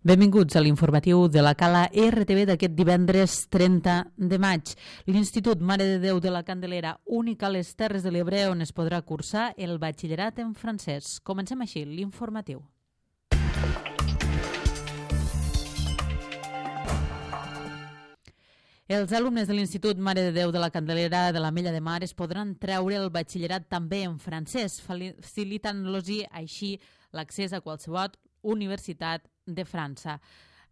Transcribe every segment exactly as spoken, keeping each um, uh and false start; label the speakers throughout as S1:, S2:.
S1: Benvinguts a l'informatiu de la Cala R T V d'aquest divendres trenta de maig. L'Institut Mare de Déu de la Candelera, únic a les Terres de l'Ebre, on es podrà cursar el batxillerat en francès. Comencem així l'informatiu. Els alumnes de l'Institut Mare de Déu de la Candelera de l'Ametlla de Mar es podran treure el batxillerat també en francès, facilitant-los així l'accés a qualsevol universitat de França.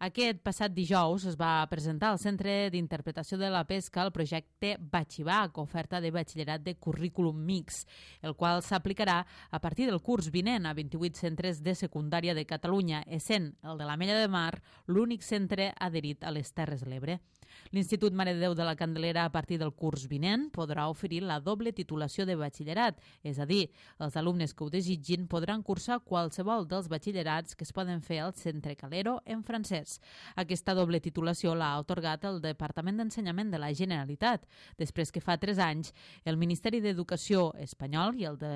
S1: Aquest passat dijous es va presentar al Centre d'Interpretació de la Pesca el projecte Batxibac, oferta de batxillerat de currículum mix, el qual s'aplicarà a partir del curs vinent a vint-i-vuit centres de secundària de Catalunya, essent el de l'Ametlla de Mar l'únic centre adherit a les Terres de l'Ebre. L'Institut Mare de Déu de la Candelera, a partir del curs vinent, podrà oferir la doble titulació de batxillerat, és a dir, els alumnes que ho desitgin podran cursar qualsevol dels batxillerats que es poden fer al Centre Calero en francès. Aquesta doble titulació l'ha atorgat el Departament d'Ensenyament de la Generalitat, després que fa tres anys el Ministeri d'Educació espanyol i el de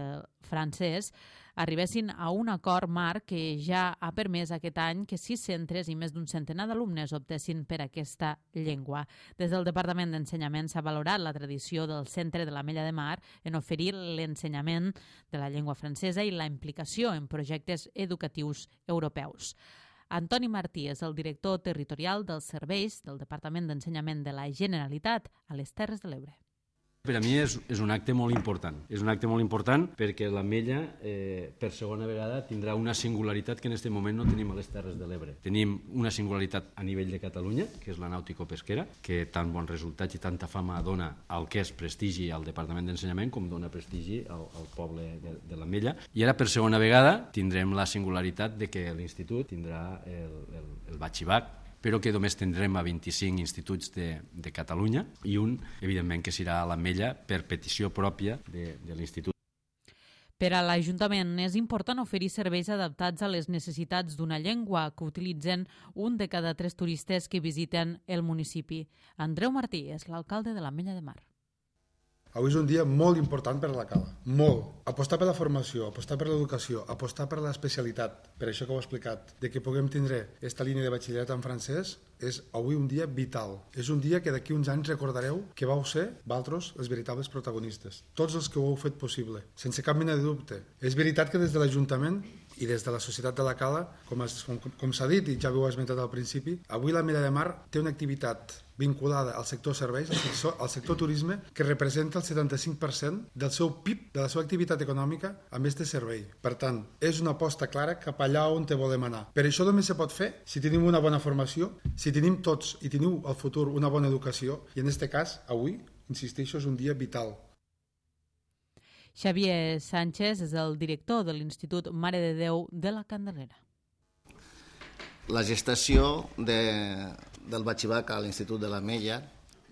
S1: francès arribessin a un acord marc que ja ha permès aquest any que sis centres i més d'un centenar d'alumnes optessin per aquesta llengua. Des del Departament d'Ensenyament s'ha valorat la tradició del Centre de l'Ametlla de Mar en oferir l'ensenyament de la llengua francesa i la implicació en projectes educatius europeus. Antoni Martí és el director territorial dels serveis del Departament d'Ensenyament de la Generalitat a les Terres de l'Ebre.
S2: Per a mi és, és un acte molt important. És un acte molt important perquè l'Ametlla, eh, per segona vegada, tindrà una singularitat que en aquest moment no tenim a les Terres de l'Ebre. Tenim una singularitat a nivell de Catalunya, que és la nàutico-pesquera, que tant bons resultats i tanta fama dona al que és prestigi al Departament d'Ensenyament com dona prestigi al, al poble de, de l'Ametlla. I ara, per segona vegada, tindrem la singularitat de que l'Institut tindrà el, el, el batxibac, però que només tindrem a vint-i-cinc instituts de, de Catalunya i un, evidentment, que serà a l'Ametlla per petició pròpia de, de l'Institut.
S1: Per a l'Ajuntament és important oferir serveis adaptats a les necessitats d'una llengua que utilitzen un de cada tres turistes que visiten el municipi. Andreu Martí és l'alcalde de l'Ametlla de Mar.
S3: Avui és un dia molt important per a la Cala, molt. Apostar per la formació, apostar per l'educació, apostar per l'especialitat, per això que ho he explicat, de que puguem tindre aquesta línia de batxillerat en francès, és avui un dia vital. És un dia que d'aquí uns anys recordareu que vau ser, vosaltres, els veritables protagonistes. Tots els que ho heu fet possible, sense cap mena de dubte. És veritat que des de l'Ajuntament i des de la societat de la Cala, com, es, com, com s'ha dit i ja ho heu esmentat al principi, avui l'Ametlla de Mar té una activitat vinculada al sector serveis, al sector, al sector turisme, que representa el setanta-cinc per cent del seu P I B, de la seva activitat econòmica, a més de servei. Per tant, és una aposta clara cap allà on te volem anar. Per això només se pot fer si tenim una bona formació, si tenim tots i teniu al futur una bona educació, i en aquest cas, avui, insisteixo, és un dia vital.
S1: Xavier Sánchez és el director de l'Institut Mare de Déu de la Candelera.
S4: La gestació de, del batxibac a l'Institut de l'Ametlla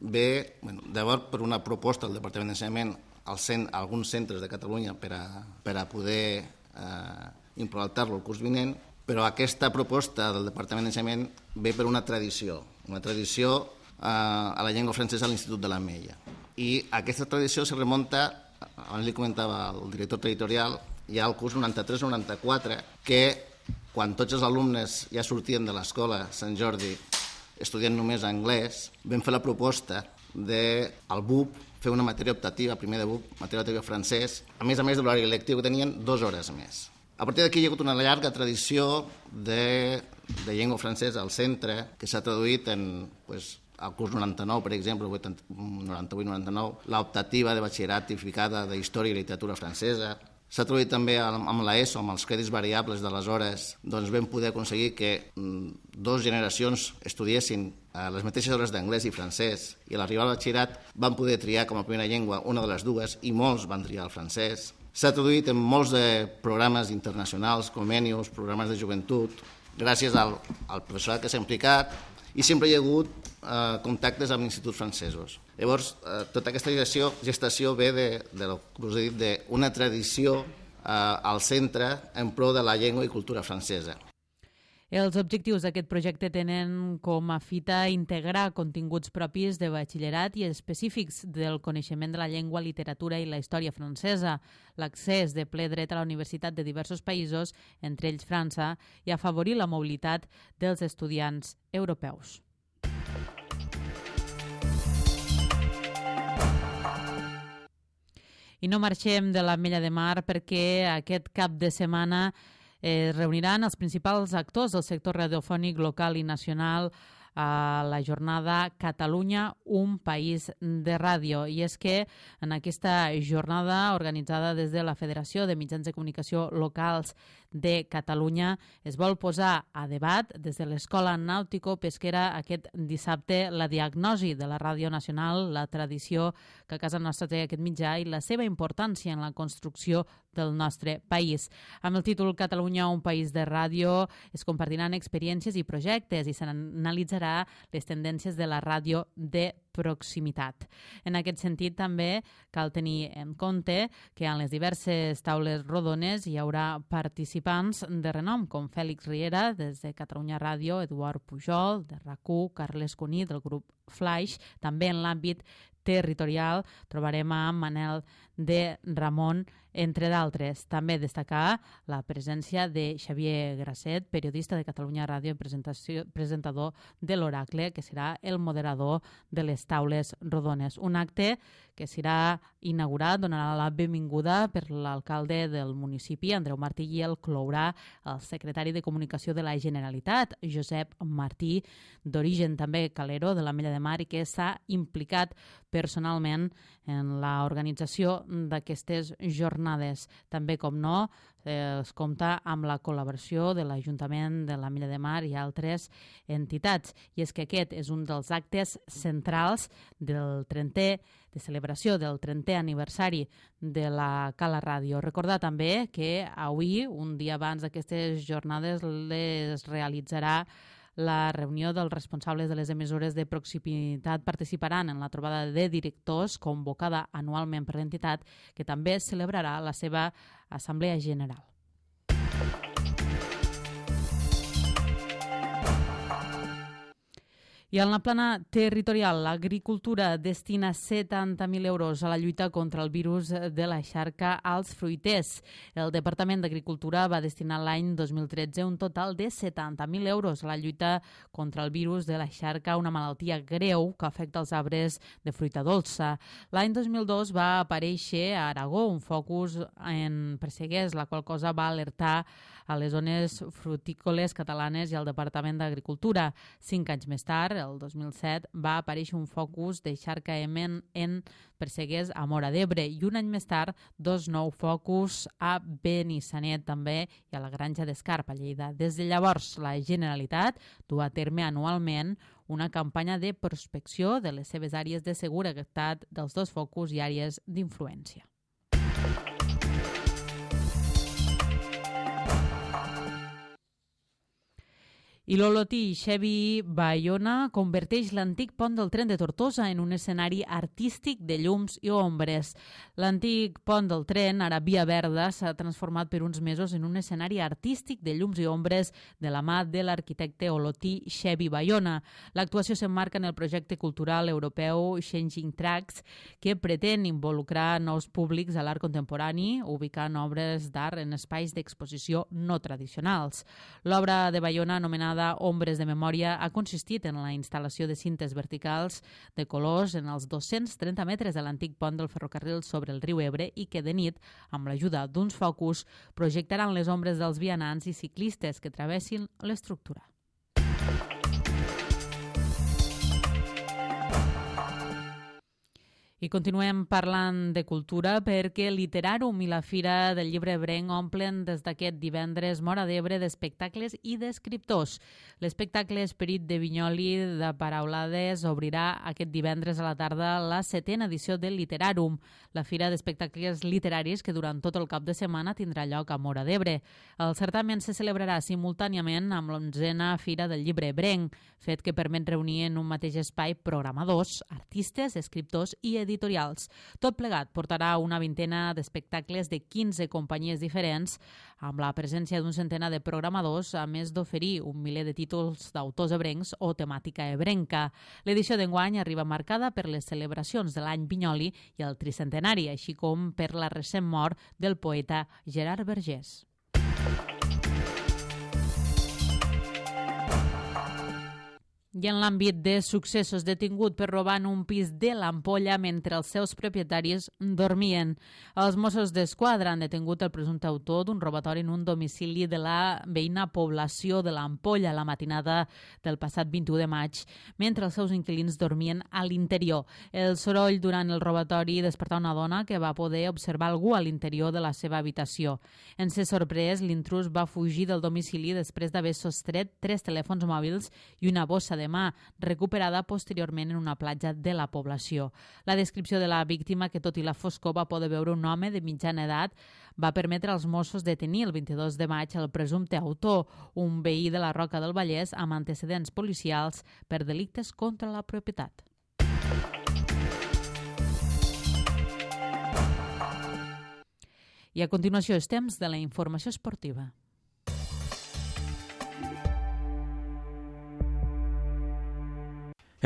S4: ve, bueno, llavors per una proposta del Departament d'Ensenyament al cent, a alguns centres de Catalunya per a, per a poder eh, implantar-lo el curs vinent, però aquesta proposta del Departament d'Ensenyament ve per una tradició, una tradició eh, a la llengua francesa a l'Institut de l'Ametlla. I aquesta tradició se remunta, abans li comentava el director territorial, hi ha el curs noranta-tres noranta-quatre, que quan tots els alumnes ja sortien de l'escola Sant Jordi estudiant només anglès, vam fer la proposta de, al B U P, fer una matèria optativa, primer de B U P, matèria optativa francès, a més a més de l'horari lectiu que tenien dues hores més. A partir d'aquí hi ha hagut una llarga tradició de, de llengua francesa al centre, que s'ha traduït en, pues, al curs noranta-nou, per exemple, noranta-vuit noranta-nou, l'optativa de batxillerat tipificada de història i literatura francesa. S'ha traduït també amb l'ESO, amb els crèdits variables de les hores, doncs vam poder aconseguir que dues generacions estudiessin les mateixes hores d'anglès i francès, i a l'arribar al batxillerat van poder triar com a primera llengua una de les dues, i molts van triar el francès. S'ha traduït en molts de programes internacionals, convenis, programes de joventut, gràcies al, al professorat que s'ha implicat, i sempre hi ha hagut eh, contactes amb instituts francesos. Llavors, eh, tota aquesta gestació, gestació ve de, de, com us he dit, d'una tradició eh, al centre en pro de la llengua i cultura francesa.
S1: Els objectius d'aquest projecte tenen com a fita integrar continguts propis de batxillerat i específics del coneixement de la llengua, literatura i la història francesa, l'accés de ple dret a la universitat de diversos països, entre ells França, i afavorir la mobilitat dels estudiants europeus. I no marxem de l'Ametlla de Mar perquè aquest cap de setmana es reuniran els principals actors del sector radiofònic local i nacional a la jornada Catalunya, un país de ràdio. I és que en aquesta jornada organitzada des de la Federació de Mitjans de Comunicació Locals de Catalunya es vol posar a debat des de l'Escola Nàutico-Pesquera aquest dissabte la diagnosi de la ràdio nacional, la tradició que a casa nostra té aquest mitjà i la seva importància en la construcció del nostre país. Amb el títol Catalunya, un país de ràdio, es compartiran experiències i projectes i s'analitzarà les tendències de la ràdio de proximitat. En aquest sentit, també cal tenir en compte que en les diverses taules rodones hi haurà participants de renom, com Fèlix Riera, des de Catalunya Ràdio, Eduard Pujol, de RAC u, Carles Cuní, del grup Flaix. També en l'àmbit territorial trobarem a Manel de Ramon, entre d'altres. També destacar la presència de Xavier Grasset, periodista de Catalunya Ràdio i presentador de l'Oracle, que serà el moderador de les taules rodones. Un acte que serà inaugurat, donarà la benvinguda per l'alcalde del municipi, Andreu Martí, i el clourà el secretari de Comunicació de la Generalitat, Josep Martí, d'origen també calero, de l'Ametlla de Mar, i que s'ha implicat personalment en l'organització d'aquestes jornades. També, com no, eh, es compta amb la col·laboració de l'Ajuntament de l'Ametlla de Mar i altres entitats. I és que aquest és un dels actes centrals del trentè de celebració del trentè aniversari de la Cala Ràdio. Recordar també que avui, un dia abans d'aquestes jornades, les realitzarà la reunió dels responsables de les emissores de proximitat. Participaran en la trobada de directors convocada anualment per l'entitat, que també celebrarà la seva assemblea general. I en la plana territorial, l'agricultura destina setanta mil euros a la lluita contra el virus de la xarca als fruiters. El Departament d'Agricultura va destinar l'any dos mil tretze un total de setanta mil euros a la lluita contra el virus de la xarca, una malaltia greu que afecta els arbres de fruita dolça. L'any dos mil dos va aparèixer a Aragó un focus en Presseguers, la qual cosa va alertar a les zones frutícoles catalanes i al Departament d'Agricultura. Cinc anys més tard, el dos mil set, va aparèixer un focus de xarca en, en Presseguers a Móra d'Ebre i un any més tard dos nous focus a Benissanet també i a la Granja d'Escarp, a Lleida. Des de llavors, la Generalitat du a terme anualment una campanya de prospecció de les seves àrees de seguretat dels dos focus i àrees d'influència. I l'Olotí Xevi Bayona converteix l'antic pont del tren de Tortosa en un escenari artístic de llums i ombres. L'antic pont del tren, ara Via Verda, s'ha transformat per uns mesos en un escenari artístic de llums i ombres de la mà de l'arquitecte Olotí Xevi Bayona. L'actuació s'emmarca en el projecte cultural europeu Changing Tracks, que pretén involucrar nous públics a l'art contemporani, ubicant obres d'art en espais d'exposició no tradicionals. L'obra de Bayona, anomenada Ombres de Memòria, ha consistit en la instal·lació de cintes verticals de colors en els dos-cents trenta metres de l'antic pont del ferrocarril sobre el riu Ebre i que de nit, amb l'ajuda d'uns focus, projectaran les ombres dels vianants i ciclistes que travessin l'estructura. I continuem parlant de cultura perquè Literàrum i la Fira del Llibre Ebrenc omplen des d'aquest divendres Móra d'Ebre d'espectacles i d'escriptors. L'espectacle Esperit de Vinyoli de Paraulades obrirà aquest divendres a la tarda la setena edició del Literàrum, la fira d'espectacles literaris que durant tot el cap de setmana tindrà lloc a Móra d'Ebre. El certamen se celebrarà simultàniament amb l'onzena Fira del Llibre Ebrenc, fet que permet reunir en un mateix espai programadors, artistes, escriptors i editors editorials. Tot plegat portarà una vintena d'espectacles de quinze companyies diferents, amb la presència d'un centenar de programadors, a més d'oferir un miler de títols d'autors ebrencs o temàtica ebrenca. L'edició d'enguany arriba marcada per les celebracions de l'any Vinyoli i el tricentenari, així com per la recent mort del poeta Gerard Vergés. I en l'àmbit de successos, detingut per robar en un pis de l'Ampolla mentre els seus propietaris dormien. Els Mossos d'Esquadra han detingut el presumpte autor d'un robatori en un domicili de la veïna població de l'Ampolla la matinada del passat vint-i-u de maig, mentre els seus inquilins dormien a l'interior. El soroll durant el robatori despertà una dona que va poder observar algú a l'interior de la seva habitació. En ser sorprès, l'intrús va fugir del domicili després d'haver sostret tres telèfons mòbils i una bossa de mà, recuperada posteriorment en una platja de la població. La descripció de la víctima, que tot i la foscor va poder veure un home de mitjana edat, va permetre als Mossos detenir el vint-i-dos de maig el presumpte autor, un veí de la Roca del Vallès amb antecedents policials per delictes contra la propietat. I a continuació és temps de la informació esportiva.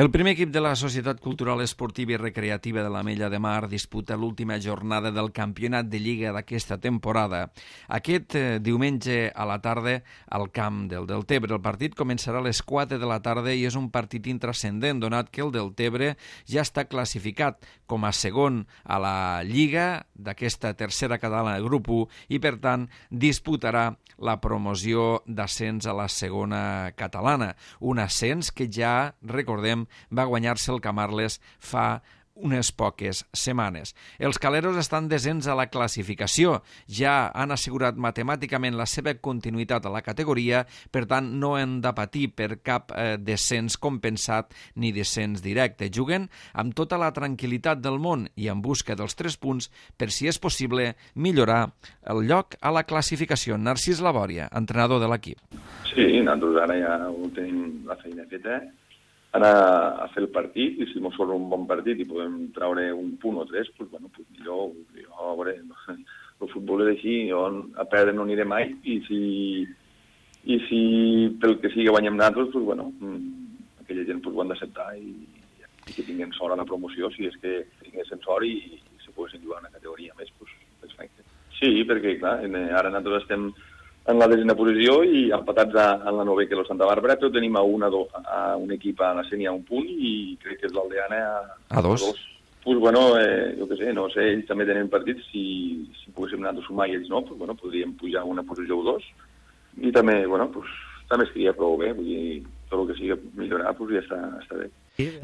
S5: El primer equip de la Societat Cultural Esportiva i Recreativa de l'Ametlla de Mar disputa l'última jornada del campionat de Lliga d'aquesta temporada. Aquest eh, diumenge a la tarda al camp del Deltebre. El partit començarà a les quatre de la tarda i és un partit intrascendent, donat que el Deltebre ja està classificat com a segon a la Lliga d'aquesta tercera catalana de grup u i, per tant, disputarà la promoció d'ascens a la segona catalana. Un ascens que ja, recordem, va guanyar-se el Camarles fa unes poques setmanes. Els caleros estan descens a la classificació, ja han assegurat matemàticament la seva continuïtat a la categoria, per tant no han de patir per cap eh, descens compensat ni descens directe. Juguen amb tota la tranquil·litat del món i en busca dels tres punts per, si és possible, millorar el lloc a la classificació. Narcís Labòria, entrenador de l'equip.
S6: Sí, nosaltres ara ja ho tenim la feina feta, anar a fer el partit, i si mos surt un bon partit i podem treure un punt o tres, doncs, bueno, pues millor, jo, a veure, el futbol és així, jo a perdre no aniré mai, i si, i si pel que sigui guanyem nosaltres, doncs, bueno, aquella gent pues, ho han d'acceptar i, i que tinguin sort a la promoció, si és que tinguessin sort i, i si poguessin jugar a una categoria més, doncs, perfecte. Sí, perquè, clar, ara nosaltres estem en la desena posició i empatats a, a la nove que és el Santa Bàrbara, però tenim a un, a, do, a un equip a la Sènia a un punt i crec que és l'Aldeana a,
S5: a dos.
S6: A dos. Pues bueno, eh, jo què sé, no sé, ells també tenen partits, si, si poguéssim anar a sumar i ells no, pues bueno, podríem pujar a una posició o dos, i també, bueno, pues, també es queria prou bé, vull dir, tot el que sigui millorar, pues ja està, està bé.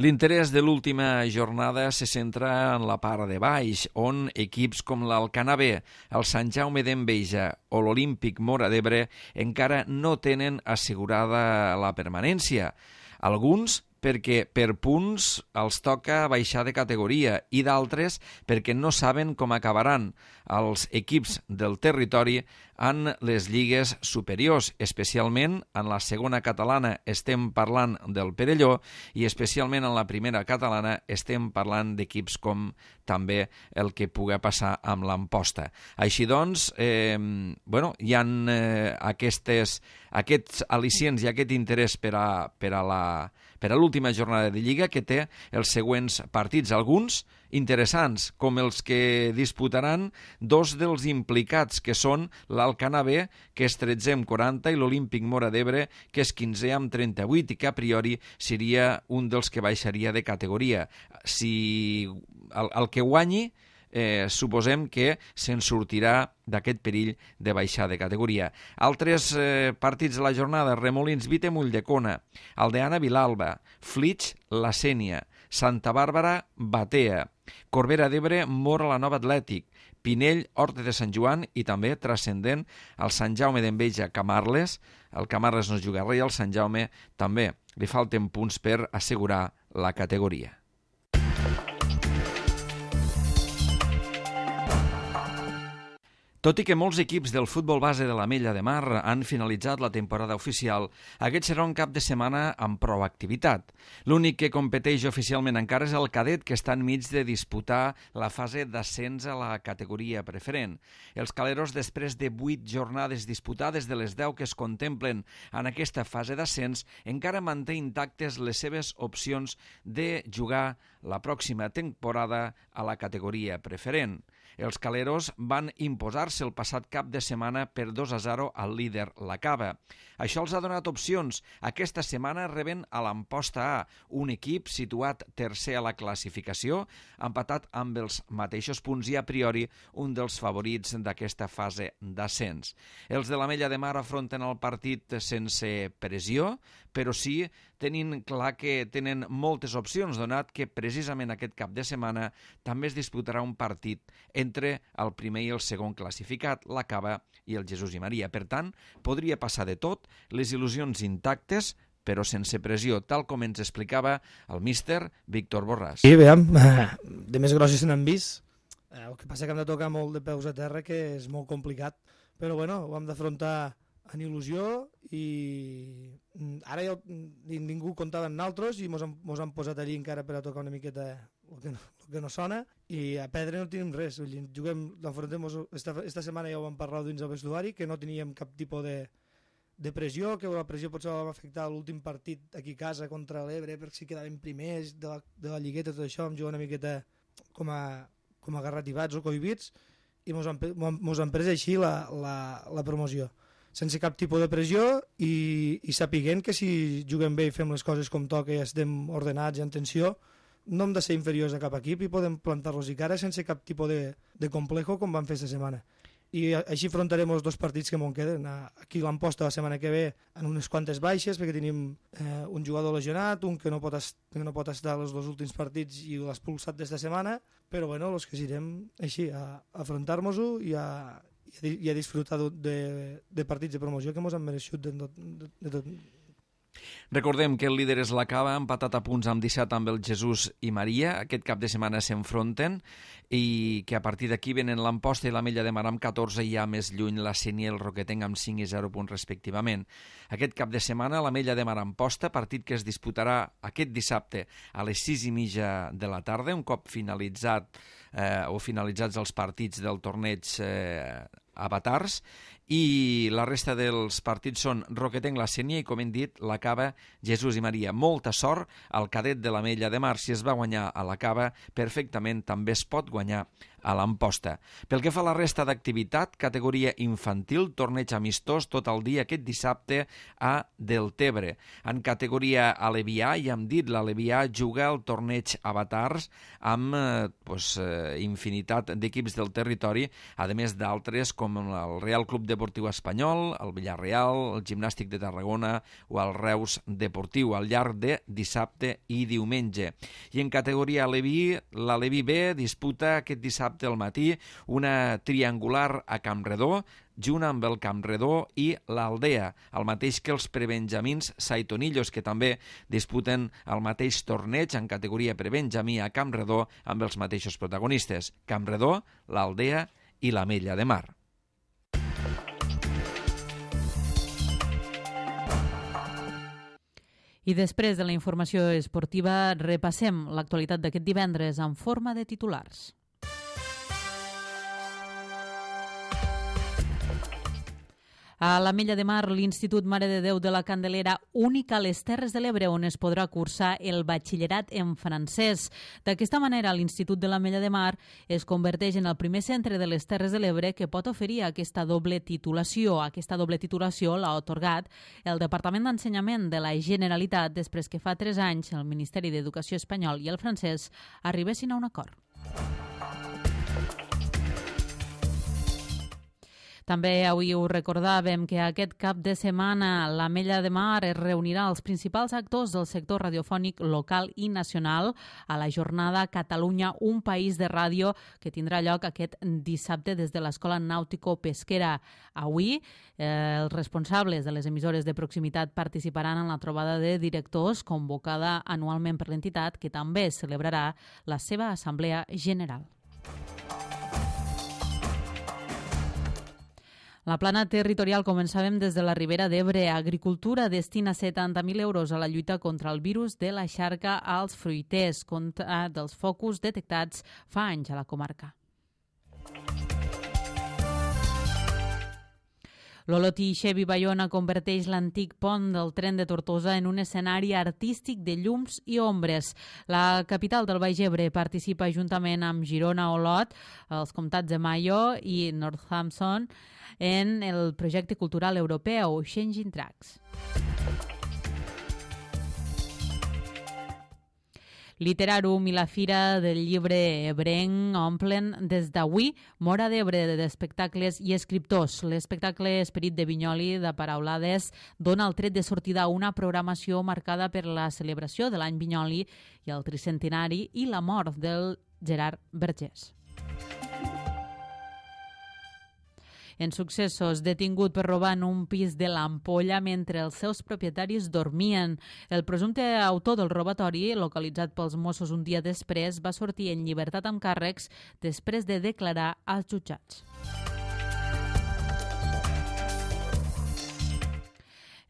S5: L'interès de l'última jornada se centra en la part de baix, on equips com l'Alcanar B, el Sant Jaume d'Enveja o l'Olímpic Móra d'Ebre encara no tenen assegurada la permanència. Alguns perquè per punts els toca baixar de categoria i d'altres perquè no saben com acabaran els equips del territori en les lligues superiors, especialment en la segona catalana estem parlant del Perelló i especialment en la primera catalana estem parlant d'equips com també el que pugui passar amb l'Amposta. Així doncs, eh, bueno, hi ha eh, aquestes, aquests al·licients i aquest interès per a, per a la per a l'última jornada de Lliga, que té els següents partits, alguns interessants, com els que disputaran dos dels implicats, que són l'Alcanar B, que és tretze amb quaranta, i l'Olímpic Móra d'Ebre, que és quinze amb trenta-vuit, i que a priori seria un dels que baixaria de categoria. Si el, el que guanyi, Eh, suposem que se'n sortirà d'aquest perill de baixar de categoria. Altres eh, partits de la jornada: Remolins Vite Mulldecona, Aldeana Vilalba, Flix La Sénia, Santa Bàrbara Batea, Corbera d'Ebre Móra la Nova Atlètic, Pinell Horta de Sant Joan i també transcendent el Sant Jaume d'Enveja Camarles. El Camarles no juga res i al Sant Jaume també li falten punts per assegurar la categoria. Tot i que molts equips del futbol base de l'Ametlla de Mar han finalitzat la temporada oficial, aquest serà un cap de setmana amb prou activitat. L'únic que competeix oficialment encara és el cadet, que està enmig de disputar la fase d'ascens a la categoria preferent. Els caleros, després de vuit jornades disputades de les deu que es contemplen en aquesta fase d'ascens, encara manté intactes les seves opcions de jugar la pròxima temporada a la categoria preferent. Els caleros van imposar-se el passat cap de setmana per dos a zero al líder, la Cava. Això els ha donat opcions. Aquesta setmana reben a l'Amposta A, un equip situat tercer a la classificació, empatat amb els mateixos punts i a priori un dels favorits d'aquesta fase d'ascens. Els de l'Ametlla de Mar afronten el partit sense pressió, però sí tenint clar que tenen moltes opcions, donat que precisament aquest cap de setmana també es disputarà un partit entre el primer i el segon classificat, la Cava i el Jesús i Maria. Per tant, podria passar de tot, les il·lusions intactes, però sense pressió, tal com ens explicava el míster Víctor Borràs.
S7: Sí, veiem, de més grosses se n'han vist. El que passa que hem de tocar molt de peus a terra, que és molt complicat, però bueno, ho hem d'afrontar en il·lusió i ara ja ningú comptava amb nosaltres i mos han, mos han posat allí encara per a tocar una miqueta el que no, el que no sona i a perdre no tenim res. Juguem, l'afrontem, esta, esta setmana ja ho vam parlar dins del vestuari, que no teníem cap tipus de, de pressió, que la pressió potser va afectar l'últim partit aquí a casa contra l'Ebre per si quedàvem primers de la, de la lligueta, tot això, vam jugar una miqueta com a, com a garrativats o cohibits i mos han, mos han pres així la, la, la promoció, sense cap tipus de pressió i, i sapiguent que si juguem bé i fem les coses com toca i estem ordenats i en tensió, no hem de ser inferiors a cap equip i podem plantar-los i cara sense cap tipus de, de complejo com vam fer aquesta setmana. I així afrontarem els dos partits que m'ho queden. Aquí l'Amposta la setmana que ve en unes quantes baixes perquè tenim eh, un jugador lesionat, un que no pot, est que no pot estar els dos últims partits i l'ha expulsat d'esta setmana, però bueno, els que irem així a, a afrontar-nos-ho i a i a disfrutar de, de partits de promoció que ens han mereixut de, de, de tot.
S5: Recordem que el líder és la Cava, empatat a punts amb disset amb el Jesús i Maria. Aquest cap de setmana s'enfronten i que a partir d'aquí venen l'Amposta i l'Ametlla de Mar amb catorze i ja més lluny la Sénia i el Roquetenc amb cinc i zero punts respectivament. Aquest cap de setmana l'Ametlla de Mar Amposta, partit que es disputarà aquest dissabte a les sis i mitja de la tarda, un cop finalitzat eh, o finalitzats els partits del torneig eh, avatars, i la resta dels partits són Roquetenc, la Sénia i, com hem dit, la Cava, Jesús i Maria. Molta sort al cadet de l'Ametlla de Mar. Si es va guanyar a la Cava, perfectament també es pot guanyar a l'Amposta. Pel que fa a la resta d'activitat, categoria infantil, torneig amistós tot el dia aquest dissabte a Deltebre. En categoria alevià, ja hem dit, l'alevià juga el torneig avatars amb eh, pues, eh, infinitat d'equips del territori, a més d'altres com el Real Club Deportiu Espanyol, el Villarreal, el Gimnàstic de Tarragona o el Reus Deportiu al llarg de dissabte i diumenge. I en categoria aleví, l'Aleví B disputa aquest dissabte al matí una triangular a Campredó, junt amb el Campredó i l'Aldea, el mateix que els prebenjamins Saitonillos, que també disputen el mateix torneig en categoria prebenjamí a Campredó amb els mateixos protagonistes, Campredó, l'Aldea i l'Ametlla de Mar.
S1: I després de la informació esportiva, repassem l'actualitat d'aquest divendres en forma de titulars. A l'Ametlla de Mar, l'Institut Mare de Déu de la Candelera, únic a les Terres de l'Ebre on es podrà cursar el batxillerat en francès. D'aquesta manera, l'Institut de l'Ametlla de Mar es converteix en el primer centre de les Terres de l'Ebre que pot oferir aquesta doble titulació. Aquesta doble titulació l'ha atorgat el Departament d'Ensenyament de la Generalitat després que fa tres anys el Ministeri d'Educació espanyol i el francès arribessin a un acord. També avui ho recordàvem que aquest cap de setmana l'Ametlla de Mar es reunirà els principals actors del sector radiofònic local i nacional a la jornada Catalunya, un país de ràdio, que tindrà lloc aquest dissabte des de l'Escola Nàutico-Pesquera. Avui, eh, els responsables de les emissores de proximitat participaran en la trobada de directors convocada anualment per l'entitat, que també celebrarà la seva assemblea general. La plana territorial començàvem des de la Ribera d'Ebre. Agricultura destina setanta mil euros a la lluita contra el virus de la xarca als fruiters, contra dels focus detectats fa anys a la comarca. L'Olotí Chevy Bayona converteix l'antic pont del tren de Tortosa en un escenari artístic de llums i ombres. La capital del Baix Ebre participa juntament amb Girona, Olot, els comtats de Mayo i Northampton en el projecte cultural europeu Changing Tracks. Literàrum i la Fira del Llibre Ebrenc omplen des d'avui Móra d'Ebre d'espectacles i escriptors. L'espectacle Esperit de Vinyoli de Paraulades dona el tret de sortida a una programació marcada per la celebració de l'any Vinyoli i el tricentenari i la mort del Gerard Vergés. En successos, detingut per robar en un pis de l'Ampolla mentre els seus propietaris dormien. El presumpte autor del robatori, localitzat pels Mossos un dia després, va sortir en llibertat amb càrrecs després de declarar als jutjats.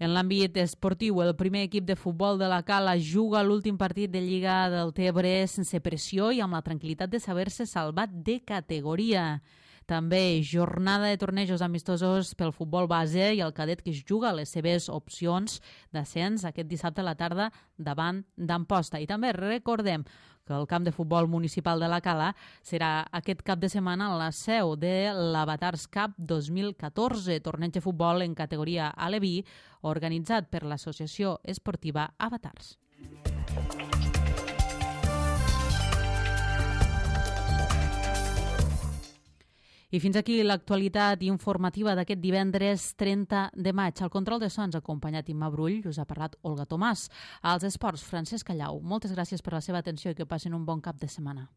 S1: En l'àmbit esportiu, el primer equip de futbol de la Cala juga l'últim partit de Lliga del Tebre sense pressió i amb la tranquil·litat de saber-se salvat de categoria. També jornada de tornejos amistosos pel futbol base i el cadet que es juga les seves opcions d'ascens aquest dissabte a la tarda davant d'Amposta. I també recordem que el camp de futbol municipal de la Cala serà aquest cap de setmana la seu de l'Avatars Cup dos mil catorze, torneig de futbol en categoria aleví, organitzat per l'Associació Esportiva Avatars. I fins aquí l'actualitat informativa d'aquest divendres trenta de maig. Al control de sons, acompanyat Imma Brull, us ha parlat Olga Tomàs. Als esports, Francesc Callau. Moltes gràcies per la seva atenció i que passin un bon cap de setmana.